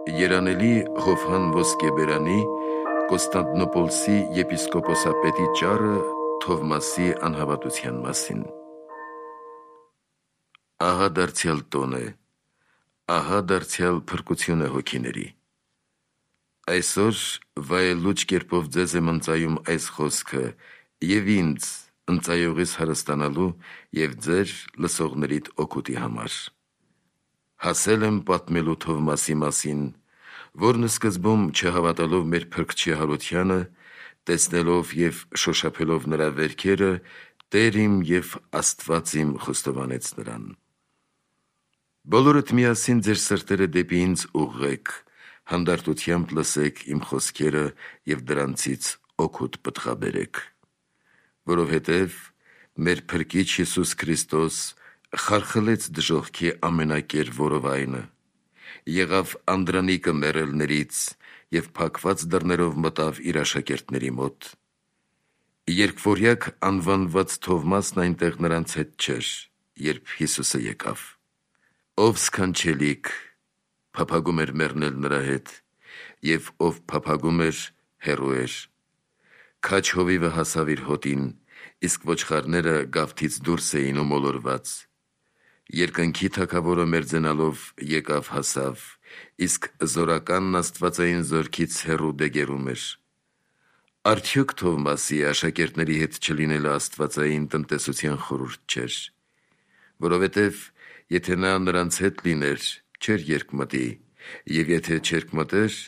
Երանելի Հովհան Ոսկեբերանի Կոստանդնոպոլսի եպիսկոպոսապետի ճառը Թովմասի անհավատության մասին։ Ահա դարձյալ տոն է, ահա դարձյալ փրկություն է հոգիների։ Այսօր վայելուչ կերպով ձեզ եմ ընծայում այս խոսքը և ինձ ընծայողիս հարստանալու և ձեր լսողներիդ օգուտի համար։ Հասել եմ պատմելու Թովմասի մասին, որն սկզբում չհավատալով մեր Փրկչի հարությանը, տեսնելով և շոշափելով նրա վերքերը, Տեր իմ և Աստված իմ խոստովանեց նրան։ Բոլորդ միասին ձեր սրտերը դեպի ինձ ուղղեք, հանդարտությամբ լսեք իմ խոսքերը և դրանցից օգուտ պտղաբերեք։ Որովհետև մեր Փրկիչ Հիսուս Քրիստոս խարխլեց դժոխքի ամենակեր որովայնը, եղավ անդրանիկը մեռելներից և փակված դռներով մտավ իր աշակերտների մոտ։ Երկվորյակ անվանված Թովմասն այնտեղ նրանց հետ չէր, երբ Հիսուսը եկավ։ Ով սքանչելիք, փափագում էր մեռնել նրա հետ, և ով փափագում էր, հեռու էր։ Քաջ հովիվը հասավ իր հոտին, իսկ ոչխարները գավթից դուրս էին ու մոլորված։ Երկնքի թագավորը մերձենալով եկավ հասավ, իսկ զորականն աստվածային զորքից հեռու դեգերում էր։ Արդյոք Թովմասի աշակերտների հետ չլինելը աստվածային տնտեսության խորհուրդ չէր, որովհետև եթե նա նրանց հետ լիներ, չէր երկմտի, և եթե չերկմտեր,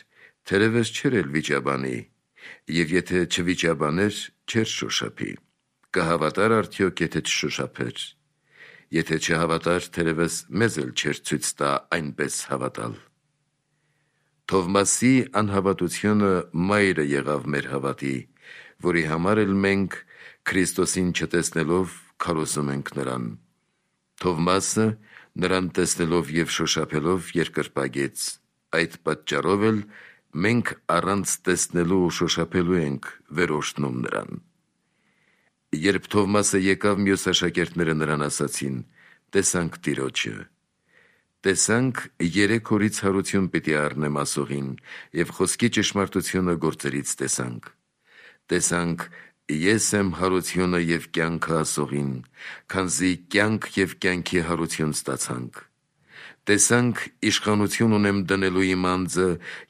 թերևս չէր էլ վիճաբանի, և եթե չվիճաբաներ, չէր շոշափի։ Կհավատար արդյոք, եթե չշոշափեր։ Եթե չհավատար, թերևս մեզ էլ չէր ցույց տա այնպես հավատալ։ Թովմասի անհավատությունը մայրը եղավ մեր հավատի, որի համար էլ մենք, Քրիստոսին չտեսնելով, քարոզում ենք նրան։ Թովմասը նրան տեսնելով և շոշափելով երկրպագեց, այդ պատճառով էլ մենք առանց տեսնելու ու շոշափելու ենք վերորշտնում նրան։ Երբ Թովմասը եկավ, մյուս աշակերտները նրան ասացին. «Տեսանք Տիրոջը»։ Տեսանք 3 օրից հարություն պիտի առնեմ ասողին, և խոսքի ճշմարտությունը գործերից տեսանք։ Տեսանք ես եմ հարությունը և կյանքը ասողին, քանզի կյանք և կյանքի հարություն ստացանք։ Տեսանք իշխանություն ունեմ դնելու իմ անձը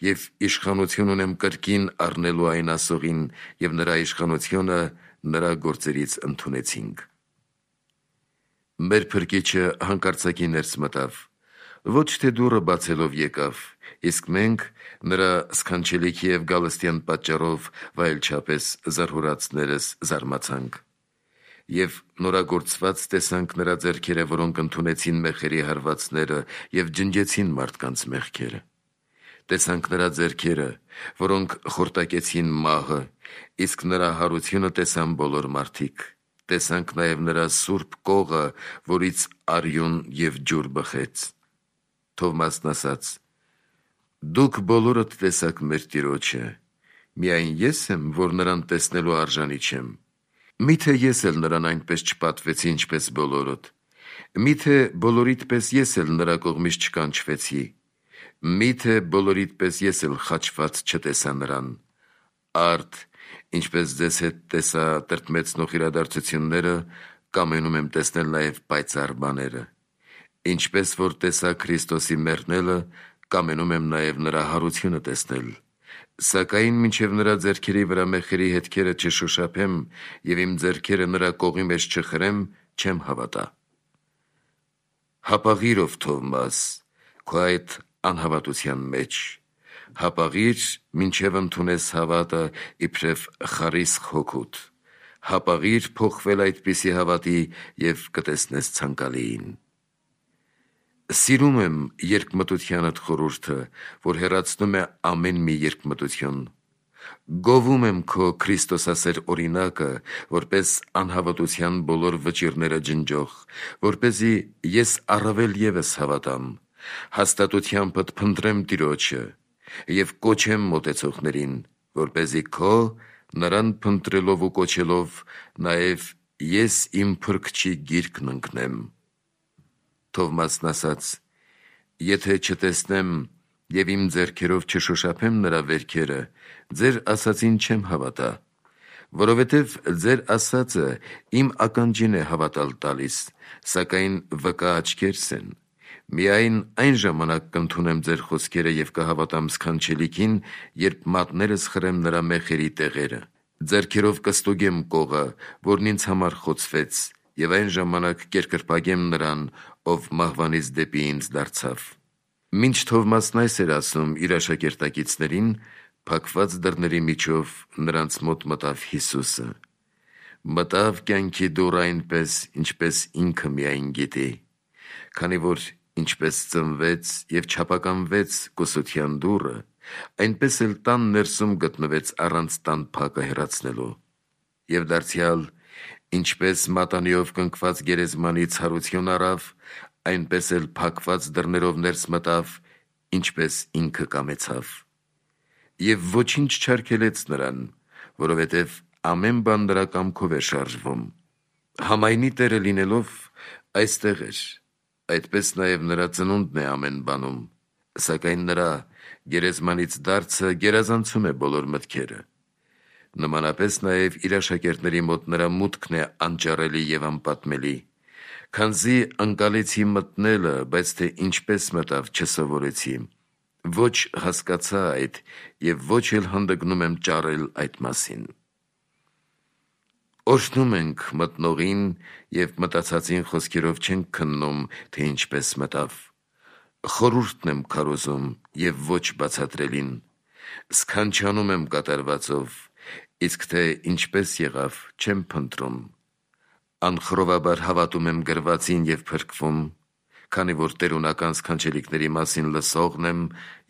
և իշխանություն ունեմ կրկին առնելու այն ասողին, և նրա իշխանությունը նրա գործերից ընդունեցինք։ Մեր Փրկիչը հանկարծակի ներս մտավ, ոչ թե դուռը բացելով եկավ, իսկ մենք նրա սքանչելիքի և գալստյան պատճառով վայելչապես զարհուրածներս զարմացանք։ Եվ նորագործված տեսանք նրա ձեռքերը, որոնք ընդունեցին մեխերի հարվածները և ջնջեցին մարդկանց մեղքերը։ Տեսանք նրա ձեռքերը, որոնք խորտակեցին մահը, իսկ նրա հարությունը տեսան բոլոր մարդիկ։ Տեսանք նաև նրա սուրբ կողը, որից արյուն և ջուր բխեց։ Թովմասն ասաց. «Դուք բոլորդ տեսաք մեր Տիրոջը, միայն ես եմ, որ նրան տեսնելու արժանի չեմ։ Մի՞թե ես էլ նրան այնպես չպատվեցի, ինչպես բոլորդ։ Մի՞թե բոլորիդ պես ես էլ նրա կողմից չկանչվեցի։ Մի՞թե բոլորիդ պես ես էլ խաչված չտեսա նրան։ Արդ, ինչպես ձեզ հետ տեսա տրտմեցնող իրադարձությունները, կամենում եմ տեսնել նաև պայծառ բաները։ Ինչպես որ տեսա Քրիստոսի մեռնելը, կամենում եմ նաև նրա հարությունը տեսնել։ Սակայն մինչև նրա ձեռքերի վրա մեխերի հետքերը չշոշափեմ և իմ ձեռքերը նրա կողի մեջ չխրեմ, չեմ հավատա։ Հապաղի՛ր, ով Թովմաս, քո այդ անհավատության մեջ, հապաղի՛ր, մինչև ընդունես հավատը իբրև խարիսխ հոգուդ, հապաղի՛ր փոխվել այդպիսի հավատի և կտեսնես ցանկալիին։ Սիրում եմ երկմտությանդ խորհուրդը, որ հեռացնում է ամեն մի երկմտություն։ Գովում եմ քո քրիստոսասեր օրինակը, որպես անհավատության բոլոր վճիռները ջնջող, որպեսզի ես առավել ևս հավատամ, հաստատությանդ փնտրեմ Տիրոջը և կոչեմ մոտեցողներին, որպեսզի քո նրան փնտրելով ու կոչելով նաև ես իմ Փրկչի գիրկն ընկնեմ։ Թովմասն ասաց. «Եթե չտեսնեմ եւ իմ ձեռքերով չշոշափեմ նրա վերքերը, ձեր ասածին չեմ հավատա, որովհետև ձեր ասածը իմ ականջին է հավատալ տալիս, սակայն վկա աչքերս են։ Միայն այն ժամանակ կընդունեմ ձեր խոսքերը եւ կհավատամ սքանչելիքին, երբ մատներս խրեմ նրա մեխերի տեղերը։ Ձեռքերով կստուգեմ կողը, որն ինձ համար խոցվեց, եւ այն ժամանակ կերկրպագեմ նրան, ով մահվանից դեպի ինձ դարձավ։ Մինչ Թովմասն այս էր ասում իր աշակերտակիցներին, փակված դռների միջով նրանց մոտ մտավ Հիսուսը։ Մտավ կյանքի դուռ այնպես, ինչպես ինքը միայն գիտի, քանի որ ինչպես ծնվեց եւ չափականվեց կուսության դուռը, այնպես էլ տան ներսում գտնվեց առանց տան փակը հեռացնելու։ Եվ դարձյալ, ինչպես մատանիով կնքված գերեզմանի ցարություն առավ, այնպես էլ փակված դռներով ներս մտավ, ինչպես ինքը կամեցավ։ Եվ ոչինչ չարգելեց նրան, որովհետև ամեն բան նրա կամքով էր շարժվում։ Համայնի տերը լինելով այստեղ էր, այդպես նաև նրա ծնունդն է ամեն բանում, սակայն նրա գերեզմանից դարձը գերազանցում է բոլոր մտքերը։ Նմանապես նաև իր աշակերտների մոտ նրա մուտքն է անճարելի եւ անպատմելի, քանզի անկալեցի մտնելը, բայց թե ինչպես մտավ չսովորեցի, ոչ հասկացա այդ եւ ոչ էլ հանդգնում եմ ճարել այդ մասին։ Օրհնում ենք մտնողին եւ մտածածին խոսքերով չենք քննում, թե ինչպես մտավ։ Խորհուրդն եմ քարոզում եւ ոչ բացատրելին, սքանչանում եմ կատարվածով, իսկ թե ինչպես եղավ չեմ փնտրում։ Անխռովաբար հավատում եմ գրվածին եւ փրկվում, քանի որ տերունական սքանչելիքների մասին լսողն եմ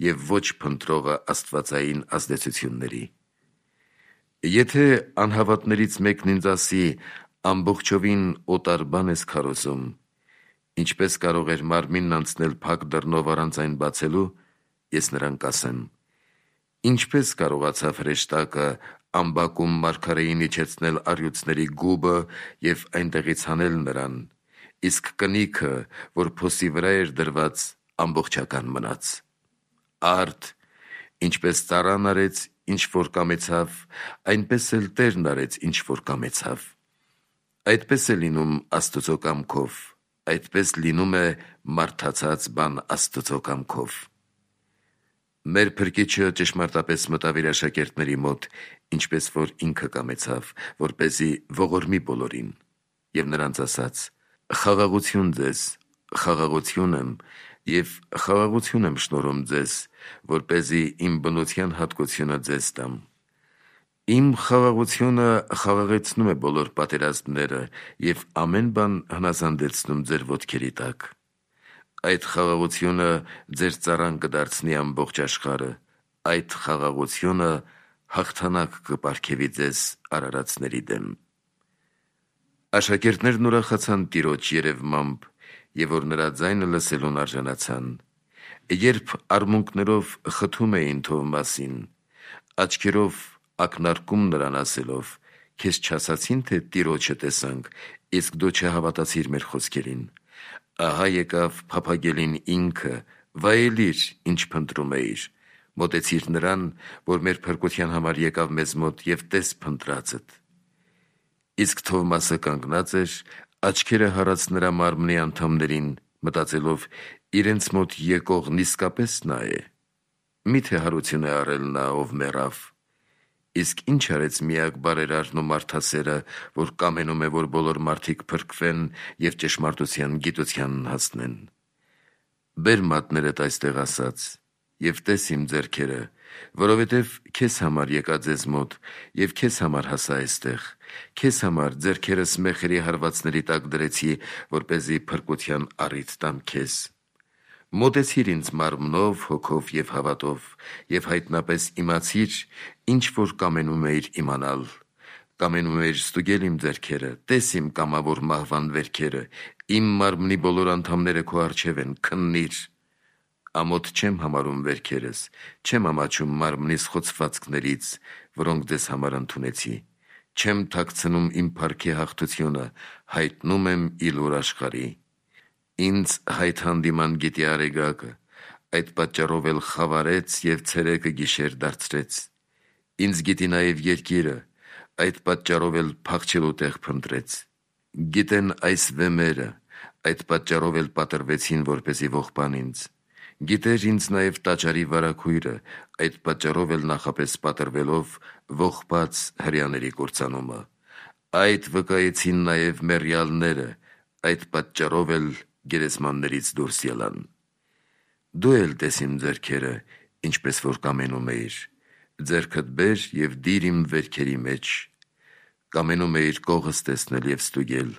եւ ոչ փնտրողը աստվածային ազդեցությունների։ Եթե անհավատներից մեկն ինձ ասի, ամբողջովին օտար բան ես քարոզում, ինչպես կարող էր մարմինն անցնել փակ դռնով առանց այն բացելու, ես նրան կասեմ. ինչպես կարողացավ հրեշտակը ամբակում մարգարեին իջեցնել առյուծների գուբը եւ այնտեղից հանել նրան, իսկ կնիքը, որ փոսի վրա էր դրված, ամբողջական մնաց։ Արդ, ինչպես ծառան արեց, ինչ որ կամեցավ, այնպես էլ Տերն արեց, ինչ որ կամեցավ։ Այդպես է լինում Աստծո կամքով, այդպես լինում է մարդացած բան Աստծո կամքով։ Մեր Փրկիչը ճշմարտապես մտավ իր աշակերտների մոտ, ինչպես որ ինքը կամեցավ, որպեսզի ողորմի բոլորին, եւ նրանց ասաց. «Խաղաղություն ձեզ, խաղաղություն եմ, եւ խաղաղություն եմ շնորհում ձեզ, որպեսզի իմ բնության հատկությունը ձեզ տամ։ Իմ խաղաղությունը խաղաղեցնում է բոլոր պատերազմները եւ ամեն բան հնազանդեցնում ձեր ոտքերի տակ։ Այդ խաղաղությունը ձեր ծառան կդարձնի ամբողջ աշխարհը, այդ խաղաղությունը հաղթանակ կպարգևի ձեզ արարածների դեմ»։ Աշակերտներն ուրախացան Տիրոջ երևմամբ, եւ որ նրա ձայնը լսելուն արժանացան։ Երբ արմունկներով խթում էին Թովմասին, աչքերով ակնարկում նրան ասելով. «Քեզ չասացին, թե Տիրոջը տեսանք, իսկ դու չհավատացիր մեր խոսքերին»։ Ահա եկավ փափագելին ինքը, վայելիր, ինչ փնտրում էիր, մոտեցիր նրան, որ մեր փրկության համար եկավ մեզ մոտ, եւ տես փնտրածդ։ Իսկ Թովմասը կանգնած էր, աչքերը հառած նրա մարմնի անդամներին, մտածելով. իրենց մոտ եկողն իսկապես նա է։ Միթե հարություն է արել նա, ով մեռավ։ Իսկ ինչ արեց միակ բարերարն ու մարդասերը, որ կամենում է, որ բոլոր մարդիկ փրկվեն եւ ճշմարտության գիտությանն հասնեն։ Բեր մատներդ այստեղ ասած, եւ տես իմ ձեռքերը, որովհետև քեզ համար եկա ձեզ մոտ, եւ քեզ համար հասա այստեղ, քեզ համար ձեռքերս մեխերի հարվածների տակ դրեցի, որպեսզի փրկության առիթ տամ քեզ։ Մոտեցիր ինձ մարմնով, հոգով եւ հավատով, եւ հայտնապես իմացիր, ինչ որ կամենում էիր իմանալ։ Կամենում էիր ստուգել իմ ձեռքերը, տես իմ կամավոր մահվան վերքերը, իմ մարմնի բոլոր անդամները քո առջև են, քննիր։ Ամոթ չեմ համարում վերքերս, չեմ ամաչում մարմնիս խոցվածքներից, որոնք ձեզ համար ընդունեցի։ Չեմ թաքցնում իմ փառքի հաղթությունը, հայտնում եմ իլուր աշխարհի։ Ինձ հայտ հանդիման գիտի արեգակը, այդ պատճառով էլ խավարեց և ցերեկը գիշեր դարձրեց։ Ինձ գիտի նաև երկիրը, այդ պատճառով էլ փախչելու տեղ փնտրեց։ Գիտեն այս վեմերը, այդ պատճառով էլ պատրվեցին, որպեսզի ողբան ինձ։ Գիտեր ինձ նաև տաճարի վարագույրը, այդ պատճառով էլ նախապես պատրվելով ողբաց հրեաների կործանումը։ Այդ վկայեցին նաև մեռյալները, այդ պատճառով էլ գերեզմաններից դուրս ելան։ Դու էլ տես իմ ձեռքերը, ինչպես որ կամենում էիր, ձեռքդ բեր և դիր իմ վերքերի մեջ։ Կամենում էիր կողս տեսնել և ստուգել,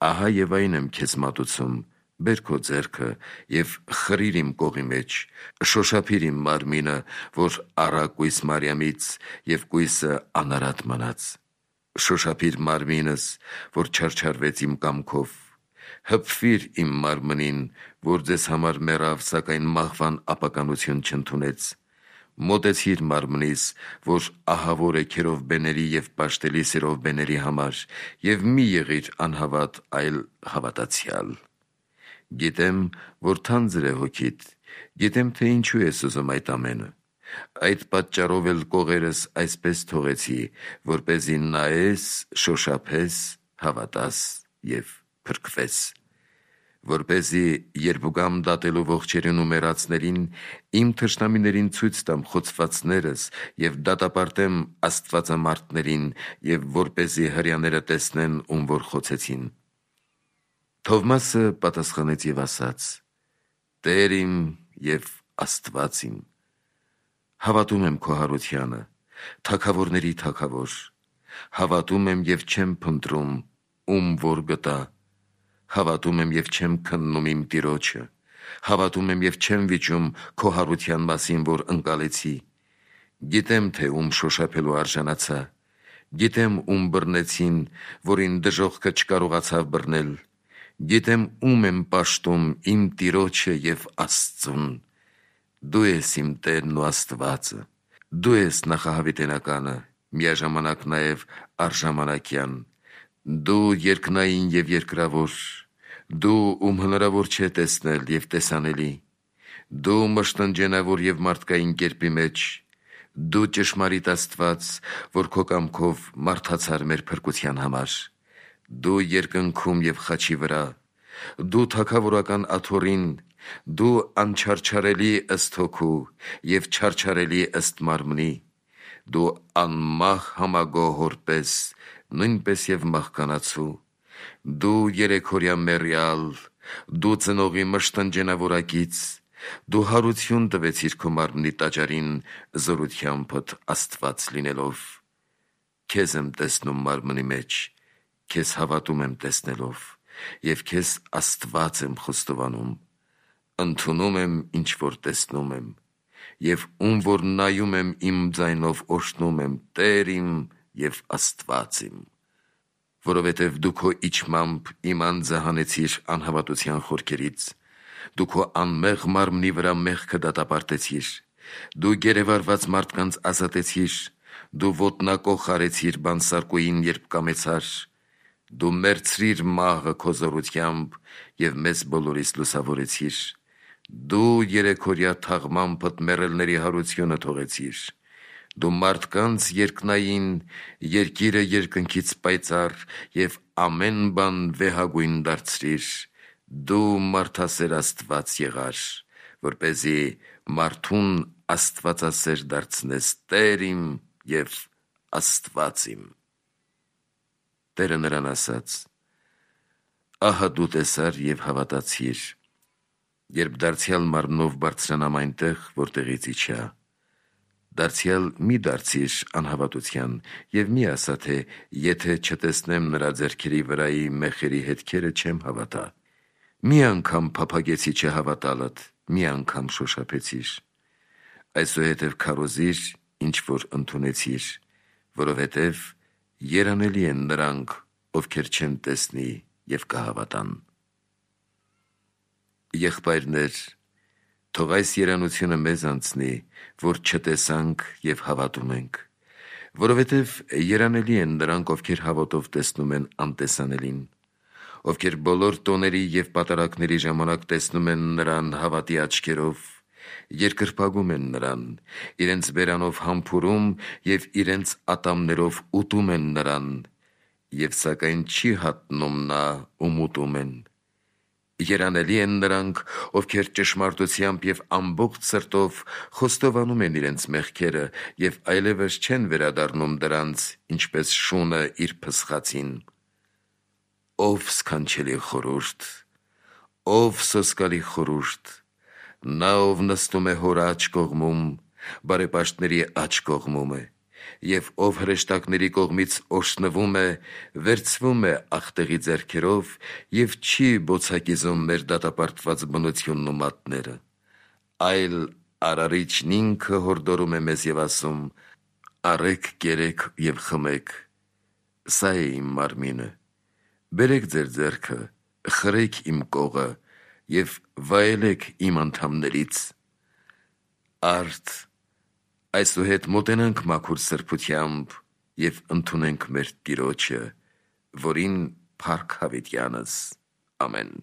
ահա և այն եմ քեզ մատուցում, բեր քո ձեռքը և խրիր իմ կողի մեջ, շոշափիր իմ մարմինը, որ առա կույս Մարիամից և կույսը անարատ մնաց։ Շոշափիր մարմինս, որ չարչարվեց իմ կամքով, հպվիր իմ մարմնին, որ ձեզ համար մեռավ, սակայն մահվան ապականություն չընդունեց։ Մոտեցիր մարմնիս, որ ահավոր է քերովբեների և պաշտելի սերովբեների համար, և մի եղիր անհավատ, այլ հավատացյալ։ Գիտեմ, որ թանձր է հոգիդ, գիտեմ, թե ինչու ես ուզում այդ ամենը։ Այդ պատճառով էլ կողերս այսպես թողեցի, որպեսզի նայես, շոշափես, հավատաս և փրկվես, որպեսզի երբ գամ դատելու ողջերին ու մեռածներին, իմ թշնամիներին ցույց տամ խոցվածներս և դատապարտեմ աստվածամարտներին, և որպեսզի հրեաները տեսնեն, ում որ խոցեցին։ Թովմասը պատասխանեց և ասաց. Տեր իմ և Աստված իմ։ Հավատում եմ քո հարությանը, թագավորների թագավոր, հավատում եմ և չեմ փնտրում, ում որ գտա, հավատում եմ և չեմ քննում իմ Տիրոջը, հավատում եմ և չեմ վիճում քո հարության մասին, որ ընկալեցի։ Գիտեմ, թե ում շոշափելու արժանացա, գիտեմ ում բռնեցին, որին դժոխքը չկարողացավ բռնել, գիտեմ ում եմ պաշտում, իմ Տիրոջը և Աստծուն։ Դու ես իմ Տերն ու Աստվածը, դու ես նախահավիտենականը, միաժամանակ նաև արժանամակյան, դու երկնային և երկրավոր, դու ում հնարավոր չէ տեսնել և տեսանելի, դու մշտնջենավոր և մարդկային կերպի մեջ, դու ճշմարիտ Աստված, որ քո կամքով մարդացար մեր փրկության համար, դու երկնքում և խաչի վրա, դու թագավորական աթոռին, դու անչարչարելի ըստ հոգու և չարչարելի ըստ մարմնի, դու անմահ համագոհոր պես, նույնպես և մահկանացու, դու երեքօրյա մեռյալ, դու ծնողի մշտնջենավորակից, դու հարություն տվեցիր քո մարմնի տաճարին զորությանդ Աստված լինելով։ Քեզ եմ տեսնում մարմնի մեջ, քեզ հավատում եմ տեսնելով, և քեզ Աստված եմ խոստովանում, ընդունում եմ, ինչ որ տեսնում եմ, և ում որ նայում եմ իմ ձայնով օրհնում եմ, Տեր իմ և Աստված իմ, որովհետև դու քո իջմամբ իմ անձը հանեցիր անհավատության խորքերից, դու քո անմեղ մարմնի վրա մեղքը դատապարտեցիր, դու գերեվարված մարդկանց ազատեցիր, դու ոտնակոխ արեցիր բանսարկուին, երբ կամեցար, դու մերձրիր մահը քո զորությամբ և մեզ բոլորիս լուսավորեցիր, դու երեքօրյա թաղմամբդ մեռելների հարությունը թողեցիր, դու մարդկանց երկնային, երկիրը երկնքից պայծառ և ամեն բան վեհագույն դարձրիր, դու մարդասեր Աստված եղար, որպեսզի մարդուն աստվածասեր դարձնես, Տեր իմ և Աստված իմ։ Տերը նրան ասաց. ահա դու տեսար և հավատացիր, երբ դարձյալ մարմնով բարձրանամ այնտեղ, որտեղից իջա, դարձյալ մի դարձիր անհավատության և մի ասա, թե եթե չտեսնեմ նրա ձեռքերի վրայի մեխերի հետքերը, չեմ հավատա։ Մի անգամ փափագեցի չհավատալդ, մի անգամ շոշափեցիր, այսուհետև քարոզիր, ինչ որ ընդունեցիր, որովհետև երանելի են նրանք, ովքեր չեն տեսնի և կհավատան։ Եղբայրներ, թող այս երանությունը մեզ անցնի, որ չտեսանք և հավատում ենք, որովհետև երանելի են նրանք, ովքեր հավատով տեսնում են անտեսանելին, ովքեր բոլոր տոների և պատարագների ժամանակ տեսնում են նրան հավատի աչքերով երկրպագում են նրան, իրենց բերանով համբուրում և իրենց ատամներով ուտում են նրան, և սակայն չի հատնում նա, ում ուտում են։ Երանելի են նրանք, ովքեր ճշմարտությամբ և ամբողջ սրտով խոստովանում են իրենց մեղքերը և այլևս չեն վերադառնում դրանց, ինչպես շունը իր փսխացին։ Ով սքանչելի խորհուրդ, ով սոսկալի խորհուրդ, նա, ով նստում է հոր աջ կողմում, բարեպաշտների աջ կողմում է, և ով հրեշտակների կողմից օրհնվում է, վերցվում է ախտեղի ձեռքերով և չի բոցակիզում մեր դատապարտված բնությունն ու մատները, այլ Արարիչն ինքը հորդորում է մեզ և ասում. «Առեք, կերեք և խմեք, սա է իմ մարմինը, բերեք ձեր ձեռքը, խրեք իմ կողը և վայելեք իմ անդամներից»։ Արդ այսուհետ մոտենանք մաքուր սրբությամբ և ընդունենք մեր Տիրոջը, որին փառք հավիտյանս։ Ամեն։